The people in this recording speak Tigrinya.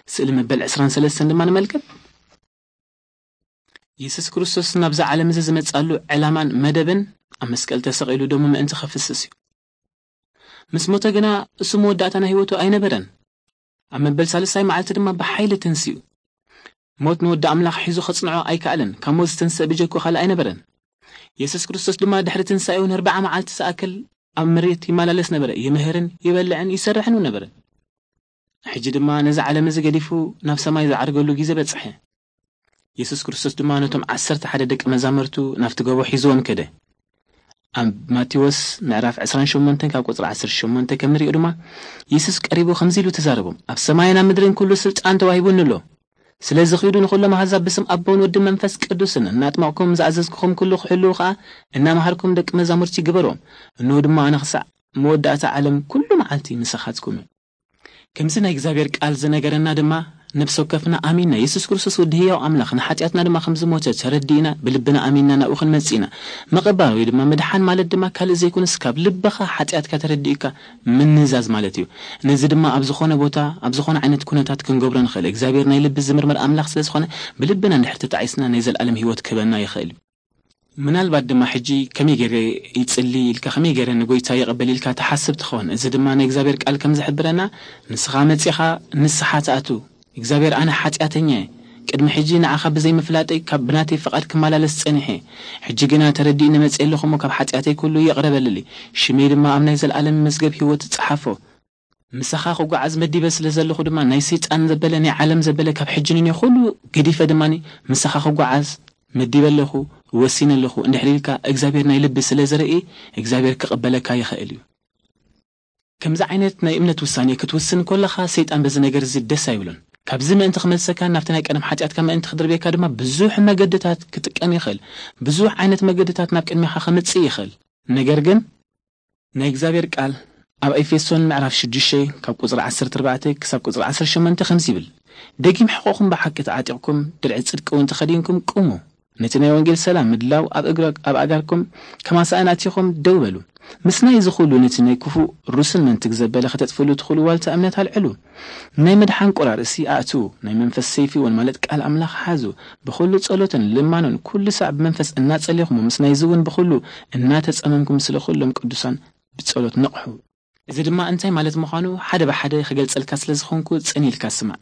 ስእሊ መበል ዕስራን ሰለስተን ድማ ንመልከት። የሱስ ክርስቶስ ናብዛ ዓለም እዚ ዝመጻሉ ዕላማን መደብን ኣብ መስቀል ተሰቒሉ ደሙ ምእንቲ ከፍስስ እዩ። ምስ ሞተ ግና እሱ መወዳእታ ናይ ህይወቱ ኣይነበረን። ኣብ መበል ሳልሳይ መዓልቲ ድማ ብሓይሊ ተንሲኡ። ሞት ንወዲ ኣምላኽ ሒዙ ከጽንዖ ኣይከኣለን። ካብ ሞት ዝተንስአ ብጀኮ ካልእ ኣይነበረን። የሱስ ክርስቶስ ድማ ድሕሪ ትንሳኤኡ ንኣርብዓ መዓልቲ ዝኣክል ኣብ መሬት ይመላለስ ነበረ። ይምህርን ይበልዕን ይሰርሕን እውን ነበረ። ሕጂ ድማ ነዚ ዓለም እዚ ገዲፉ ናብ ሰማይ ዝዓርገሉ ግዜ በጽሐ። የሱስ ክርስቶስ ድማ ነቶም ዓሰርተ ሓደ ደቂ መዛሙርቱ ናብቲ ጎቦ ሒዝዎም ከደ። ኣብ ማቴዎስ ምዕራፍ ዕስራን ሸሞንተን ካብ ቁጽሪ ዓሰርተ ሸሞንተ ከም ንሪኦ ድማ፣ የሱስ ቀሪቡ ከምዚ ኢሉ ተዛረቦም፣ ኣብ ሰማይን ኣብ ምድርን ኩሉ ስልጣን ተዋሂቡኒ ኣሎ። ስለዚ ኺዱ ንኹሎም ኣህዛብ ብስም ኣቦን ወድን መንፈስ ቅዱስን እናጥመቕኩም ዝኣዘዝኩኹም ኩሉ ክሕልዉ ኸኣ እናመሃርኩም ደቂ መዛሙርቲ ግበሮም። እንሆ ድማ ኣነ ክሳዕ መወዳእታ ዓለም ኩሉ መዓልቲ ምሳኻትኩም እየ። ከምዚ ናይ እግዚኣብሔር ቃል ዝነገረና ድማ፣ ነፍሲ ወከፍና ኣሚንና የሱስ ክርስቶስ ወዲ ህያው ኣምላኽ ንሓጢኣትና ድማ ከም ዝሞተ ተረዲእና ብልብና ኣሚንና ናብኡ ክንመጽእ ኢና። ምቕባል ወይ ድማ ምድሓን ማለት ድማ ካልእ ዘይኮነስ ካብ ልብኻ ሓጢኣትካ ተረዲእካ ምንዛዝ ማለት እዩ። ነዚ ድማ ኣብ ዝኾነ ቦታ ኣብ ዝኾነ ዓይነት ኩነታት ክንገብሮ ንኽእል። እግዚኣብሔር ናይ ልቢ ዝምርምር ኣምላኽ ስለ ዝኾነ ብልብና እንድሕር ተጣዒስና ናይ ዘለኣለም ህይወት ክህበና ይኽእል እዩ። ምናልባት ድማ ሕጂ ከመይ ገይረ ይጽሊ ኢልካ ከመይ ገይረ ንጎይታ ይቐበል ኢልካ ትሓስብ ትኸውን። እዚ ድማ ናይ እግዚኣብሔር ቃል ከም ዝሕብረና ንስኻ መጺኻ ንስሓ ትኣቱ። እግዚኣብሔር ኣነ ሓጢኣተኛ እየ። ቅድሚ ሕጂ ንዓኻ ብዘይምፍላጠይ ካብ ብናተይ ፍቓድ ክመላለስ ጸኒሐ። ሕጂ ግና ተረዲእኒ መጺአ ኣለኹ እሞ ካብ ሓጢኣተይ ኩሉ ይቕረ በልሊ። ሽመይ ድማ ኣብ ናይ ዘለኣለም መዝገብ ህይወት ጸሓፎ። ምሳኻ ክጓዓዝ መዲበ ስለ ዘለኹ ድማ ናይ ሰይጣን ዘበለ ናይ ዓለም ዘበለ ካብ ሕጂ ንኔ ኩሉ ገዲፈ ድማ ምሳኻ ክጓዓዝ መዲበ ኣለኹ፣ ወሲነ ኣለኹ እንድሕር ኢልካ እግዚኣብሔር ናይ ልቢ ስለ ዝርኢ እግዚኣብሔር ክቕበለካ ይኽእል እዩ። ከምዚ ዓይነት ናይ እምነት ውሳኔ ክትውስን ከለኻ ሰይጣን በዚ ነገር እዚ ደስ ኣይብሉን። ካብዚ ምእንቲ ክመልሰካ ናብቲ ናይ ቀደም ሓጢኣትካ ምእንቲ ክድርብየካ ድማ ብዙሕ መገድታት ክጥቀም ይኽእል። ብዙሕ ዓይነት መገድታት ናብ ቅድሚኻ ከምጽእ ይኽእል። ነገር ግን ናይ እግዚኣብሔር ቃል ኣብ ኤፌሶን ምዕራፍ ሽዱሽተ ካብ ቁጽሪ ዓሰርተ ኣርባዕተ ክሳብ ቁጽሪ ዓሰርተ ሸሞንተ ከምዚ ይብል፣ ደጊም ሕቆኹም ብሓቂ ተዓጢቕኩም ድርዒ ጽድቂ እውን ተኸዲንኩም ቁሙ። ነቲ ናይ ወንጌል ሰላም ምድላው ኣብ እግረ ኣብ ኣጋርኩም ከማሳእን ኣቲኹም ደው በሉ። ምስ ናይ እዚ ኩሉ ነቲ ናይ ክፉእ ሩስን መንትግ ዘበለ ከተጥፍሉ ትኽእሉ ዋልታ እምነት ኣልዕሉ። ናይ መድሓን ቁራርእሲ ኣእትዉ። ናይ መንፈስ ሰይፊ እውን ማለት ቃል ኣምላኽ ሓዙ። ብኹሉ ጸሎትን ልማኖን ኩሉ ሳዕ ብመንፈስ እናጸሌኹም ምስ ናይዚ እውን ብኹሉ እናተጸመምኩም ስለ ኩሎም ቅዱሳን ብጸሎት ንቕሑ። እዚ ድማ እንታይ ማለት ምዃኑ ሓደ ብሓደ ክገልጸልካ ስለ ዝኾንኩ ጽን ኢልካ ስማዕ።